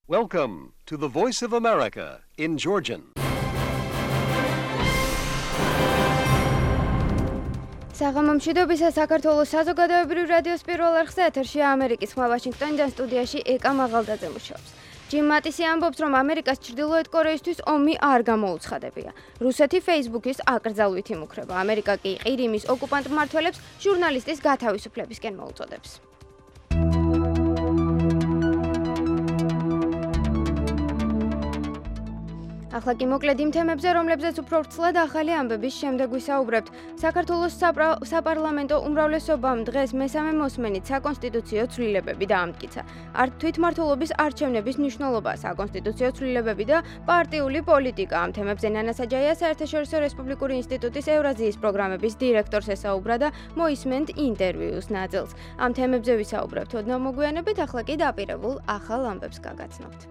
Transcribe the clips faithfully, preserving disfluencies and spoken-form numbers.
Welcome to the Voice of America in Georgian. საღამომშვიდობისა საქართველოს საზოგადოებრივ რადიოს პირველ არხზე ეთერშია ამერიკის ხმა ვაშინგტონიდან სტუდიაში ეკა მაღალდაძე მუშაობს. ჯიმ მატისი ამბობს, რომ ამერიკას ჩრდილოეთ კორეისთვის ომი არ გამოუცხადებია. რუსეთი Facebook-ის აკრძალვით იმუქრება. ამერიკა კი ყირიმის ოკუპანტ მმართველებს ჟურნალისტის გათავისუფლებისკენ მოუწოდებს. ახლა კი მოკლედ იმ თემებზე, რომლებზეც უფრო ვრცლად ახალი ამბების შემდეგ ვისაუბრებთ. საქართველოს საპარლამენტო უმრავლესობამ დღეს მესამე მოსმენით საკონსტიტუციო ცვლილებები დაამტკიცა. თვითმმართველობის არჩევნების მნიშვნელობა, საკონსტიტუციო ცვლილებები და პარტიული პოლიტიკა. ამ თემებზე ნანა საჯაია საერთაშორისო რესპუბლიკური ინსტიტუტის ევრაზიის პროგრამების დირექტორს ესაუბრა და მოისმენთ ინტერვიუს ნაწილს. ამ თემებზე ვისაუბრებთ ოდნავ მოგვიანებით, ახლა კი დაპირებულ ახალ ამბებს გაგაცნობთ.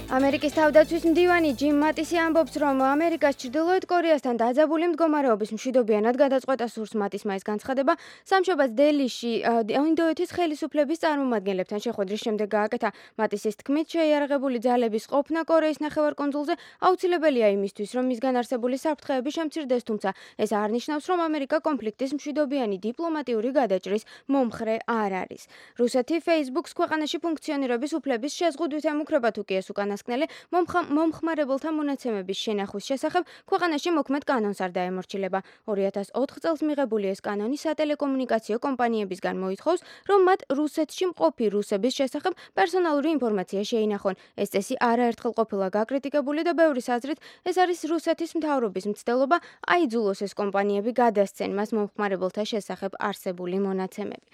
ამერიკის თავდაცვის მდივანი ჯიმ მატისი ამბობს, რომ ამერიკას ჩრდილოეთ კორეასთან დაძაბული მდგომარეობის მშვიდობიანად გადაწყვეტა სურს მატისმა ეს განცხადება სამშაბათს დელიში ინდოეთის ხელისუფლების წარმომადგენლებთან შეხვედრის შემდეგ გააკეთა. მატისის თქმით, შეიარაღებული ძალების ყოფნა კორეის ნახევარკუნძულზე აუცილებელია იმისთვის, რომ მისგან არსებული საფრთხეები შემცირდეს, თუმცა ეს არ ნიშნავს, რომ ამერიკა კონფლიქტის მშვიდობიანი დიპლომატიური გადაჭრის მომხრე არ არის. რუსეთი Facebook-ს ქვეყანაში ფუნქციონირების უფლების შეზღუდვით ემუქრება, თუ კი ეს უკანა მომხმარებელთა მონაცემების შენახვის შესახებ ქვეყანაში მოქმედ კანონს არ დაემორჩილება. ორი ათას ოთხ წელს მიღებული ეს კანონი სატელეკომუნიკაციო კომპანიებისგან მოითხოვს, რომ მათ რუსეთში მყოფი რუსების შესახებ პერსონალური ინფორმაცია შეინახონ. ეს წესი არაერთხელ ყოფილა გაკრიტიკებული და ბევრის აზრით ეს არის რუსეთის მთავრობის მცდელობა აიძულოს ეს კომპანიები გადასცენ მას მომხმარებელთა შესახებ არსებული მონაცემები.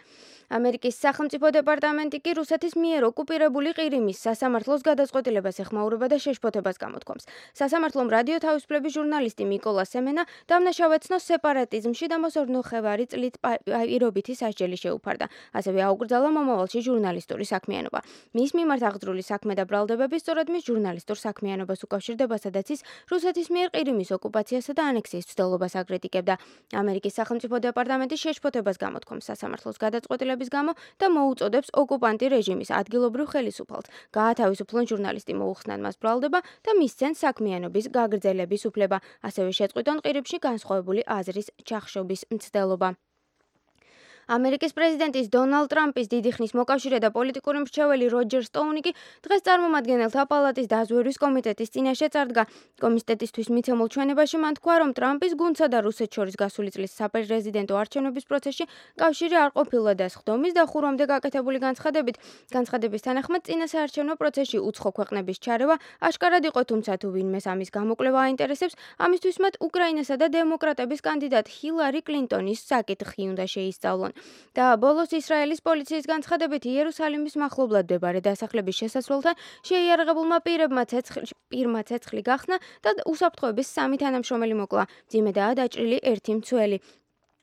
ამერიკის სახელმწიფო დეპარტამენტი კი რუსეთის მიერ ოკუპირებული ყირიმის სასამართლოს გადაწყვეტილებას ეხმაურება და შეშფოთებას გამოთქვამს. სასამართლომ რადიო თავისუფლების ჟურნალისტი მიკოლა სემენა დამნაშავეცნო სეპარატიზმში და მოსორნოხევარი წლით პირობითი სასჯელი შეუფარდა. ასევე აუკრძალა მომავალში ჟურნალისტური საქმიანობა. მის მიმართ აღძრული საქმე და ბრალდებები სწორედ მის ჟურნალისტურ საქმიანობას უკავშირდება, სადაც ის რუსეთის მიერ ყირიმის ოკუპაციასა და ანექსიის მცდელობას აკრიტიკებდა. ამერიკის სახელმწიფო დეპარტამენტი შეშფოთებას გამოთქვამს სასამართლოს გადაწყვეტილებას გამო და მოუწოდებს ოკუპანტი რეჟიმის ადგილობრივ ხელისუფალს გაათავისუფლონ ჟურნალისტი, მოუხსნან მას ბრალდება და მისცენ საქმიანობის გაგრძელების უფლება. ასევე შეწყვიტონ ყირიმში განსხვავებული აზრის ჩახშობის მცდელობა. ამერიკის პრეზიდენტის დონალდ ტრამპის დიდი ხნის მოკავშირე და პოლიტიკური მრჩეველი როჯერ სტოუნი კი დღეს წარმომადგენელთა პალატის დაზვერვის კომიტეტის წინაშე წარდგა. კომიტეტისთვის მიცემულ ჩვენებაში მან თქვა, რომ ტრამპის გუნდსა და რუსეთს შორის გასული წლის საპრეზიდენტო არჩევნების პროცესში კავშირი არ ყოფილა და სხდომის დახურვამდე გაკეთებული განცხადებით. განცხადების თანახმად წინა საარჩევნო პროცესში უცხო ქვეყნების ჩარევა აშკარად იყო, თუმცა თუ ვინმეს ამის გამოკლება აინტერესებს, ამისთვის მათ უკრაინასა და დემოკრატების კანდიდატ ჰილარი კლინტონის საკითხი უნდა შეისწავლონ. და ბოლოს ისრაელის პოლიციის განცხადებით იერუსალიმის მახლობლად მდებარე დასახლების შესასვლელთან შეიარაღებულმა პირებმა პირმა ცეცხლი გახსნა და უსაფრთხოების სამი თანამშრომელი მოკლა. მძიმედაა დაჭრილი ერთი მცველი.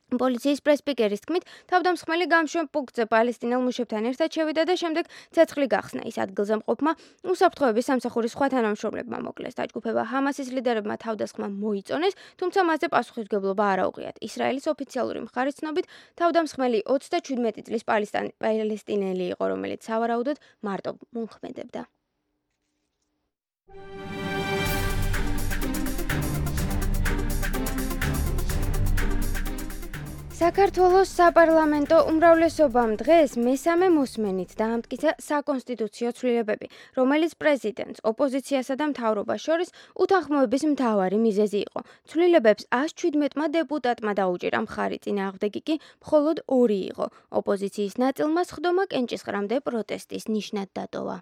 პოლიციის პრესპიკერის თქმით, თავდამსხმელი გამშვენ პუნქტზე პალესტინელ მუშებთან ერთად შევიდა და შემდეგ ცეცხლი გახსნა. ის ადგილზე მყოფმა უსაფრთხოების სამსახურის სხვა თანამშრომლებმა მოკლეს. დაჯგუფება ჰამასის ლიდერებმა თავდასხმა მოიწონეს, თუმცა მასზე პასუხისმგებლობა არ აუღიათ. ისრაელის ოფიციალური მხარის ცნობით, თავდამსხმელი ოცდაჩვიდმეტი წლის პალესტინელი იყო, რომელიც სავარაუდოდ მარტო მომხმედებდა. საქართველოს საპარლამენტო უმრავლესობამ დღეს მესამე მოსმენით დაამტკიცა საკონსტიტუციო ცვლილებები, რომელიც პრეზიდენტს, ოპოზიციასა და მთავრობას შორის უთანხმოების მთავარი მიზეზი იყო. ცვლილებებს ას შვიდმეტმა დეპუტატმა დაუჭირა მხარი, წინააღმდეგი კი მხოლოდ ორი იყო. ოპოზიციის ნაწილმა სხდომა კენჭისყრამდე პროტესტის ნიშნად დატოვა.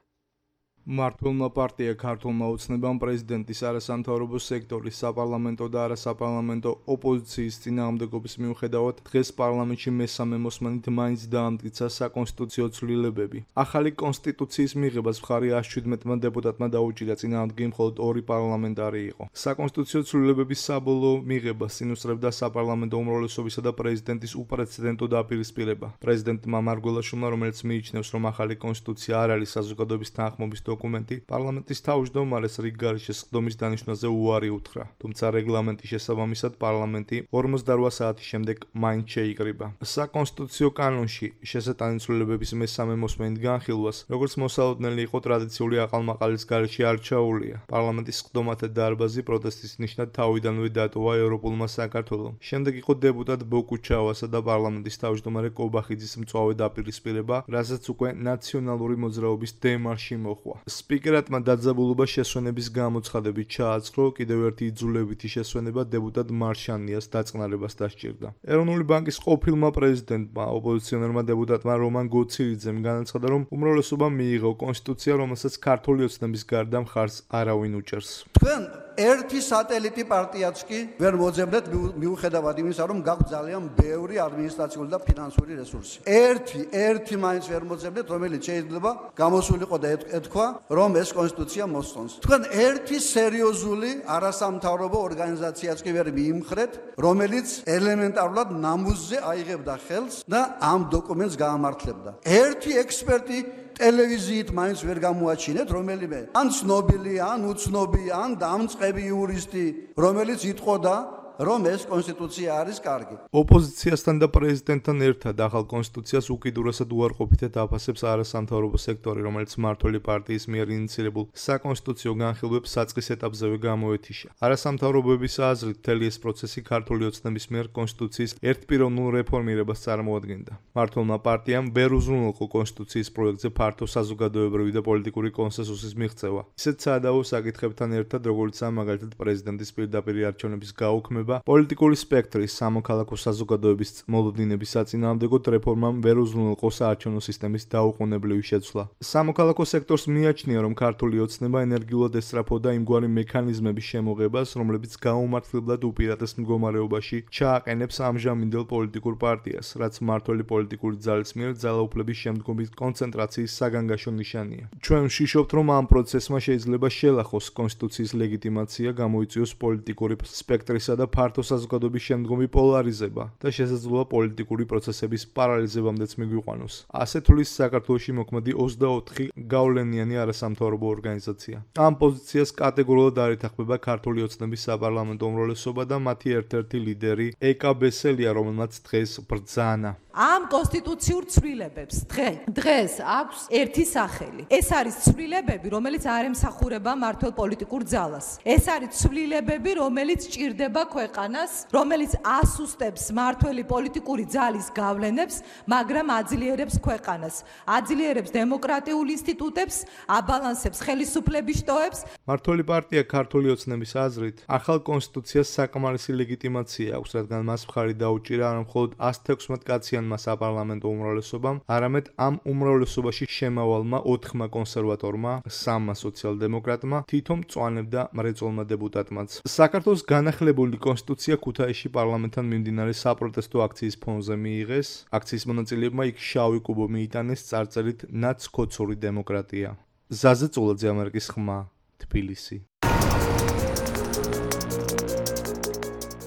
მმართველმა პარტია ქართულმა ოცნებამ პრეზიდენტის არასამთავრობო სექტორის საპარლამენტო და არასაპარლამენტო ოპოზიციის წინააღმდეგობის მიუხედავად დღეს პარლამენტში მესამე მოსმენით მაინც დაამტკიცა საკონსტიტუციო ცვლილებები. ახალი კონსტიტუციის მიღებას მხარი ას შვიდმეტმა დეპუტატმა დაუჭირა, წინააღმდეგი მხოლოდ ორი პარლამენტარი იყო. საკონსტიტუციო ცვლილებების საბოლოო მიღებას წინუსწრებდა საპარლამენტო უმრავლესობისა და პრეზიდენტის უპრეცედენტო დაპირისპირება. პრეზიდენტმა მარგველაშვილმა, რომელიც მიიჩნევს, რომ ახალი კონსტიტუცია არ არის საზოგადოების თანხმობის დოკუმენტი პარლამენტის თავმჯდომარეს რიგ გარეშე სხდომის დანიშვნაზე უარი უთხრა, თუმცა რეგლამენტის შესაბამისად პარლამენტი ორმოცდაოთხ საათის შემდეგ მაინც შეიკრიბა. საკონსტიტუციო კანონში შესატანი ცვლილებების მესამე მოსმენით განხილვას, როგორც მოსალოდნელი იყო ტრადიციული აყალმაყალის გარეშე არჩეულია. პარლამენტის სხდომათა დარბაზი პროტესტის ნიშნად თავიდანვე დატოვა ევროპულმა საქართველომ. შემდეგ იყო დეპუტატ ბოკუჩავასა და პარლამენტის თავმჯდომარე კობახიძის მწვავე დაპირისპირება, რასაც უკვე ნაციონალური მოძრაობის დემარში მოჰყვა. სპიკერატმა დაძაბულობა შესვენების გამოცხადებით ჩააწყრო, კიდევ ერთი იძულებითი შესვენება დეპუტატ მარშანიას დაწყნარებას დასჭირდა. ეროვნული ბანკის ყოფილმა პრეზიდენტმა, ოპოზიციონერმა დეპუტატმა რომან გოცირიძემ განაცხადა, რომ უმრავლესობა მიიღო კონსტიტუცია, რომელსაც ქართული ოცნების გარდა მხარს არავინ უჭერს. თქვენ ერთი სატელიტი პარტიაც კი ვერ მოძებნეთ მიუხედავად იმისა, რომ გაქვთ ძალიან ბევრი ადმინისტრაციული და ფინანსური რესურსი. ერთი, ერთი მაინც ვერ მოძებნეთ, რომელიც შეიძლება გამოსულიყო და ეთქვა, რომ ეს კონსტიტუცია მოსწონს. თქვენ ერთი სერიოზული არასამთავრობო ორგანიზაციაც კი ვერ მიიმხრეთ, რომელიც ელემენტარულად ნამუსზე აიღებდა ხელს და ამ დოკუმენტს გაამართლებდა. ერთი ექსპერტი ტელევიზიით მაინც ვერ გამოაჩინეთ, რომელიმე ან ცნობილი, ან უცნობი, ან დამწყები იურისტი, რომელიც იტყოდა, რომ ეს კონსტიტუცია არის კარგი. ოპოზიციასთან და პრეზიდენტთან ერთად ახალ კონსტიტუციას უკიდურესად უარყოფითად აფასებს არასამთავრობო სექტორი, რომელიც მმართველი პარტიის მიერ ინიციირებულ საკონსტიტუციო განხილვებს საწყის ეტაპზევე გამოეთიშა. არასამთავრობოების აზრით, მთელი ეს პროცესი ქართული ოცნების მიერ კონსტიტუციის ერთპიროვნულ რეფორმირებას წარმოადგენდა. მმართველმა პარტიამ ვერ უზრუნველყო კონსტიტუციის პროექტზე ფართო საზოგადოებრივი და პოლიტიკური კონსენსუსის მიღწევა. ისეთ საადავო საკითხებთან ერთად, როგორიცაა მაგალითად პრეზიდენტის პირდაპირი არჩევნების გაუქმება, პოლიტიკური სპექტრის სამოქალაქო საზოგადოების მოლოდინების საწინააღმდეგოდ რეფორმამ ვერ უზრუნველყო საარჩევნო სისტემის დაუყოვნებლივი შეცვლა. სამოქალაქო სექტორს მიაჩნია, რომ ქართული ოცნება ენერგიულად ესწრაფოდა იმგვარი მექანიზმების შემოღებას, რომლებიც გაუმართლებლად უპირატეს მდგომარეობაში ჩააყენებს ამჟამინდელ პოლიტიკურ პარტიას, რაც მმართველი პოლიტიკური ძალის მიერ ძალაუფლების შემდგომი კონცენტრაციის საგანგაშო ნიშანია. ჩვენ ვშიშობთ, რომ ამ პროცესმა შეიძლება შელახოს კონსტიტუციის ლეგიტიმაცია, გამოიწვიოს პოლიტიკური სპექტრისა და ფართო საზოგადოების შემდგომი პოლარიზება და შესაძლოა პოლიტიკური პროცესების პარალიზებამდეც მიგვიყვანოს. ასე თulis საქართველოში მოქმედი ოცდაოთხი გავლენიანი არასამთავრობო ორგანიზაცია. ამ პოზიციას კატეგორიულად არ ეთანხმება ქართული ოცნების საპარლამენტო უმრავლესობა და მათი ერთ-ერთი ლიდერი ეკა ბესელია, რომელმაც დღეს ბრძანა. ამ კონსტიტუციურ ცვლილებებს დღეს აქვს ერთი სახელი. ეს არის ცვლილებები, რომელიც არ ემსახურება მმართველ პოლიტიკურ ძალას. ეს არის ცვლილებები, რომელიც ჭირდება ქვეყანას, რომელიც ასუსტებს მმართველი პოლიტიკური ძალის გავლენებს, მაგრამ აძლიერებს ქვეყანას, აძლიერებს დემოკრატიულ ინსტიტუტებს, აბალანსებს ხელისუფლების შტოებს. მმართველი პარტია ქართული ოცნების აზრით, ახალ კონსტიტუციას საკმარისი ლეგიტიმაცია აქვს, რადგან მას მხარი დაუჭირა არა მხოლოდ ას თექვსმეტ კაციან საპარლამენტო უმრავლესობამ, არამედ ამ უმრავლესობაში შემავალმა ოთხმა კონსერვატორმა, სამმა სოციალ-დემოკრატმა, თითო მწვანემ და მრეწველმა დეპუტატმაც. საქართველოს განახლებული კონსტიტუცია ქუთაისში პარლამენტთან მიმდინარე საპროტესტო აქციის ფონზე მიიღეს. აქციის მონაწილეებმა იქ შავი კუბო მიიტანეს წარწერით ნაცქოცური დემოკრატია. ზაზე წულაძე, ამერიკის ხმა, თბილისი.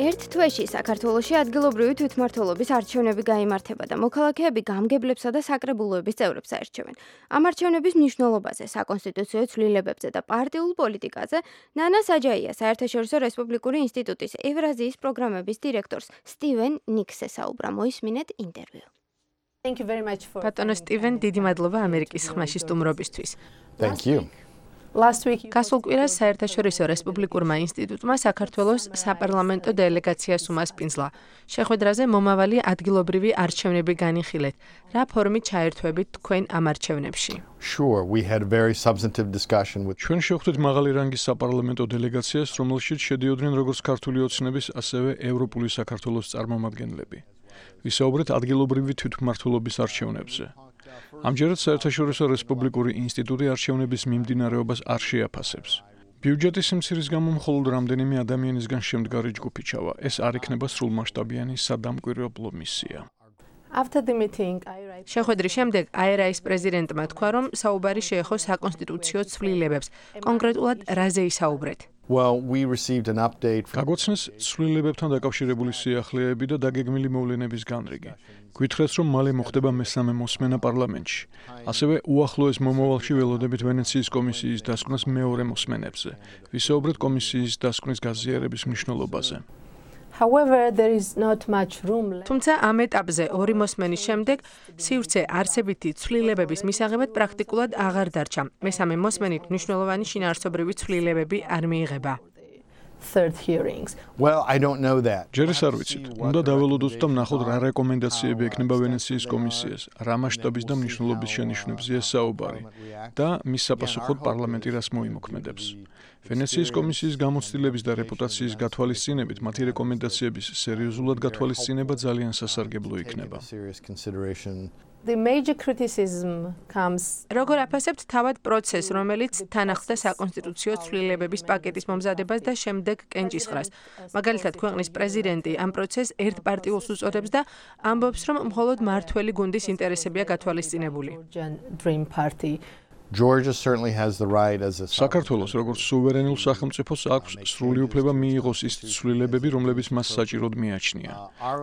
ერთ თვეში საქართველოში ადგილობრივი თვითმმართველობის არჩევნები გაიმართება და მოქალაქეები გამგებლებსა და საკრებულოების წევრებს აერჩევენ. ამ არჩევნების მნიშვნელობაზე, საკონსტიტუციო ცვლილებებზე და პარტიულ პოლიტიკაზე ნანა საჯაია საერთაშორისო რესპუბლიკური ინსტიტუტის ევრაზიის პროგრამების დირექტორს სტივენ ნიქსს ესაუბრა. მოისმინეთ ინტერვიუ. ბატონო სტივენ, დიდი მადლობა ამერიკის ხმაში სტუმრობისთვის. Thank you. გასულ კვირას საერთაშორისო რესპუბლიკურმა ინსტიტუტმა საქართველოს საპარლამენტო დელეგაციას უმასპინძლა. შეხვედრაზე მომავალი ადგილობრივი არჩევნები განიხილეთ. რა ფორმით ჩაერთვებით თქვენ ამ არჩევნებში? Sure, we had a very substantive discussion with ჩვენ შევხვდით მაღალი რანგის საპარლამენტო დელეგაციას, რომელშიც შედიოდნენ როგორც ქართული ოცნების, ასევე ევროპული საქართველოს წარმომადგენლები. ვისაუბრეთ ადგილობრივი თვითმმართველობის არჩევნებზე. ამჯერად საერთაშორისო რესპუბლიკური ინსტიტუტი არჩევნების მიმდინარეობას არ შეაფასებს. ბიუჯეტის სიმცირის გამო მხოლოდ რამდენიმე ადამიანისგან შემდგარი ჯგუფი ჩავა. ეს არ იქნება სრულმასშტაბიანი სადამკვირვებლო მისია. შეხვედრის შემდეგ აე ერ აის პრეზიდენტმა თქვა, რომ საუბარი შეეხო საკონსტიტუციო ცვლილებებს. კონკრეტულად რაზე ისაუბრეთ? Well, we received an update from გაგვაცნეს ცვლილებებთან დაკავშირებული სიახლეები და დაგეგმილი მოვლენების განრიგი. გვითხრეს, რომ მალე მოხდება მესამე მოსმენა პარლამენტში. ასევე უახლოეს მომავალში ველოდებით ვენეციის კომისიის დასკვნას მეორე მოსმენებზე. ვისაუბრეთ კომისიის დასკვნის გაზიარების მნიშვნელობაზე. However, there is not much room. თუმცა ამ ეტაპზე ორი მოსმენის შემდეგ სივრცე არსებითი ცვლილებების მისაღებად პრაქტიკულად აღარ დარჩა. მესამე მოსმენით მნიშვნელოვანი შინაარსობრივი ცვლილებები არ მიიღება. Third hearings. Well, I don't know that. ჯერეს არ ვიცით. უნდა დაველოდოთ და ვნახოთ რა რეკომენდაციები ექნება ვენეციის კომისიას, რა მასშტაბის და მნიშვნელობის შენიშვნებზეა საუბარი და მის საპასუხოდ პარლამენტი რას მოიმოქმედებს. ვენეციის კომისიის გამოცდილების და რეპუტაციის გათვალისწინებით მათი რეკომენდაციების სერიოზულად გათვალისწინება ძალიან სასარგებლო იქნება. The major criticism comes როგორ აფასებთ თავად პროცესს, რომელიც თან ახლდა საკონსტიტუციო ცვლილებების პაკეტის მომზადებას და შემდეგ კენჭისყრას. მაგალითად, ქვეყნის პრეზიდენტი ამ პროცესს ერთპარტიულს უწოდებს და ამბობს, რომ მხოლოდ მართველი გუნდის ინტერესებია გათვალისწინებული. Georgia certainly has the right as a საქართველოს როგორც სუვერენულ სახელმწიფოს აქვს სრული უფლება მიიღოს ის ცვლილებები, რომლებიც მას საჭიროდ მიაჩნია.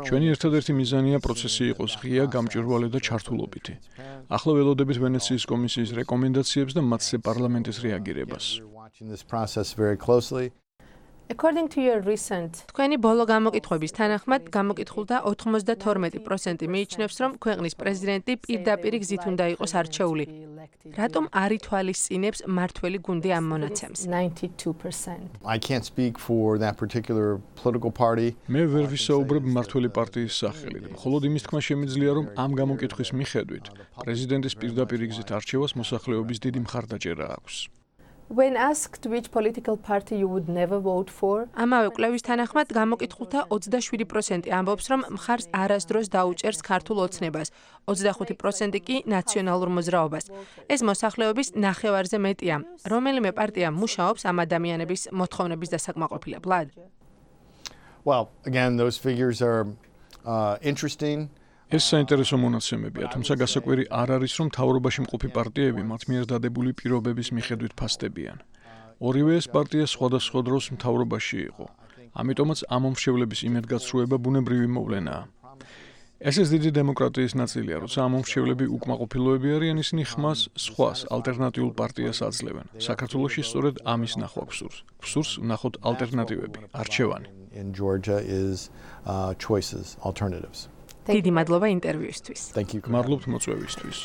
ჩვენი ერთადერთი მიზანია პროცესი იყოს ღია, გამჭვირვალე და ჩართულობითი. ახლა ველოდებით ვენეციის კომისიის რეკომენდაციებს და მათზე პარლამენტის რეაგირებას. According to your recent თქვენი ბოლო გამოკითხვების თანახმად გამოკითხულთა ოთხმოცდათორმეტი პროცენტი მიიჩნევს, რომ ქვეყნის პრეზიდენტი პირდაპირ გზით უნდა იყოს არჩეული. რატომ არ ითვალისწინებს მართველი გუნდი ამ მონაცემს? ninety-two percent. I can't speak for that particular political party. მე ვერ ვისაუბრებ მართველი პარტიის სახელით. მხოლოდ იმის თქმა შემიძლია, რომ ამ გამოკითხვის მიხედვით პრეზიდენტის პირდაპირ გზით არჩევას მოსახლეობის დიდი მხარდაჭერა აქვს. When asked which political party you would never vote for, ამავე კვლევის თანახმად გამოკითხულთა ოცდაშვიდი პროცენტი ამბობს, რომ მხარს არასდროს დაუჭერს ქართულ ოცნებას, ოცდახუთი პროცენტი კი ნაციონალურ მოძრაობას. ეს მოსახლეობის ნახევარზე მეტია. რომელიმე პარტია მუშაობს ამ ადამიანების მოთხოვნების დასაკმაყოფილებლად? Well, again, those figures are uh, interesting. ეს საინტერესო მონაცემებია, თუმცა გასაკვირი არ არის, რომ მთავრობაში მყოფი პარტიები მათ მიერ დადებული პირობების მიხედვით ფასდებიან. ორივე ეს პარტია სხვადასხვა დროს მთავრობაში იყო. ამიტომაც ამ მომრჩევლების იმედგაცრუება ბუნებრივი მოვლენაა. ეს ეს დიდი დემოკრატიის ნაწილია, როცა ამ მომრჩევლები უკმაყოფილოები არიან, ისინი ხმას სხვას ალტერნატიულ პარტიას აძლევენ. საქართველოში სწორედ ამის ნახვა გვსურს. გვსურს ვნახოთ ალტერნატივები, არჩევანი. In Georgia is uh, choices, alternatives. დიდი მადლობა ინტერვიუსთვის. Thank you. მადლობთ მოწვევისთვის.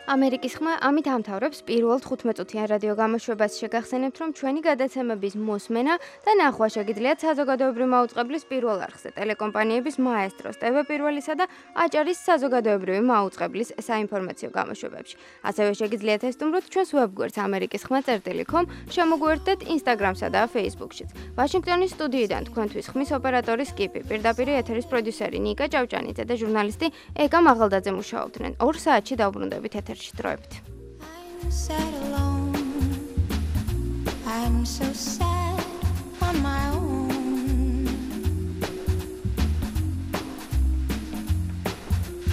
ამერიკის ხმა ამით ამთავრებს პირველ თხუთმეტ-წუთიან რადიო გამოშვებას. შეგახსენებთ, რომ ჩვენი გადაცემების მოსმენა და ნახვა შეგიძლიათ საზოგადოებრივი მაუწყებლის პირველ არხზე, ტელეკომპანიების მაესტროს, ტევ პირველისა და აჭარის საზოგადოებრივი მაუწყებლის საინფორმაციო გამოშვებებში. ასევე შეგიძლიათ ესტუმროთ ჩვენს ვებგვერდს ამერიკის ხმა წერტილი კომ, შემოგვიერთდეთ Instagram-სა და Facebook-შიც. ვაშინგტონის სტუდიიდან თქვენთვის ხმის ოპერატორი სკიპი, პირდაპირ ეთერის პროდიუსერი ნიკა ჭავჭანიძე და ჟურნალისტი ეკა მაღალდაძე მუშაობდნენ. ორ საათში დაუბრუნდებით ეთერში. I'm sad alone. I'm so sad on my own.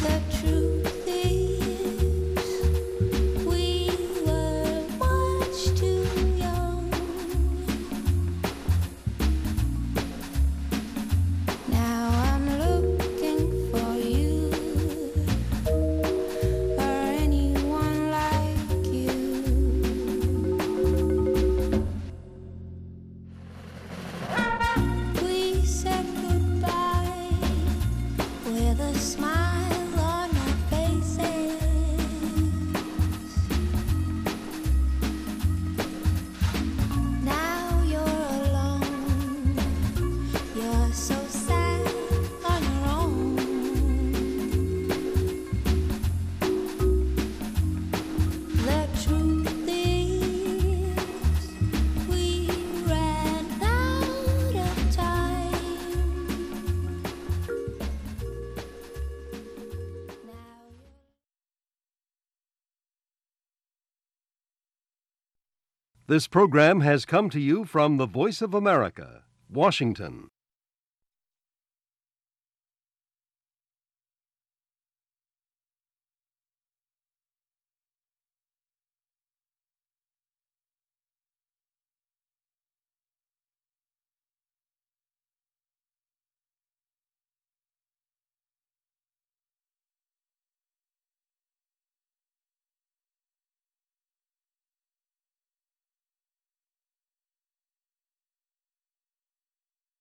The truth is, we were much too young. Now I'm looking for you. This program has come to you from the Voice of America, Washington.